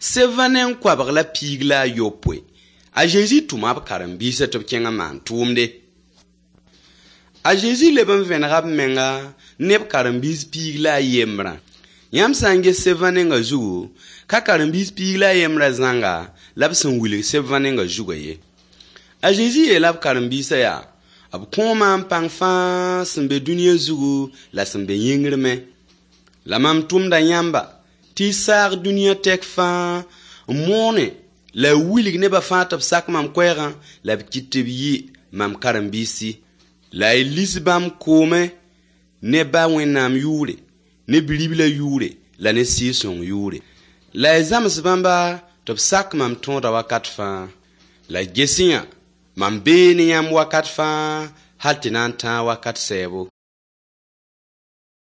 721. A Zezi tʋma b karen-biisã tɩ b kẽng n maan tʋʋmde. A Zezi leb n vẽnega b menga ne b karen-biis piig la a yembrã. Yãmb sã n ges sebvã ninga zugu, ka karen-biis piig la a yembrã zãnga la b sẽn wilg sebvã ninga zugã ye. A Zezi yeela b karen-biisã yaa: b kõo maam pãng fãa sẽn be dũniyã zugu la sẽn be yĩngr me. La mam tʋmda yãmba tɩ y saag dũniyã tɛk fãa n moone la y wilg nebã fãa tɩ b sak mam koɛɛgã la b kɩt tɩ b yɩ mam karen-biisi. La y lis bãmb koomẽ ne Ba Wẽnnaam yʋʋre, ne Bi-riblã yʋʋre la ne Sɩɩg-sõng yʋʋre. La y zãms bãmba tɩ b sak mam tõoda wakat fãa. La ges-y-yã, mam bee ne yãmb wakat fãa hal tɩ na n tãag wakat sɛɛbo.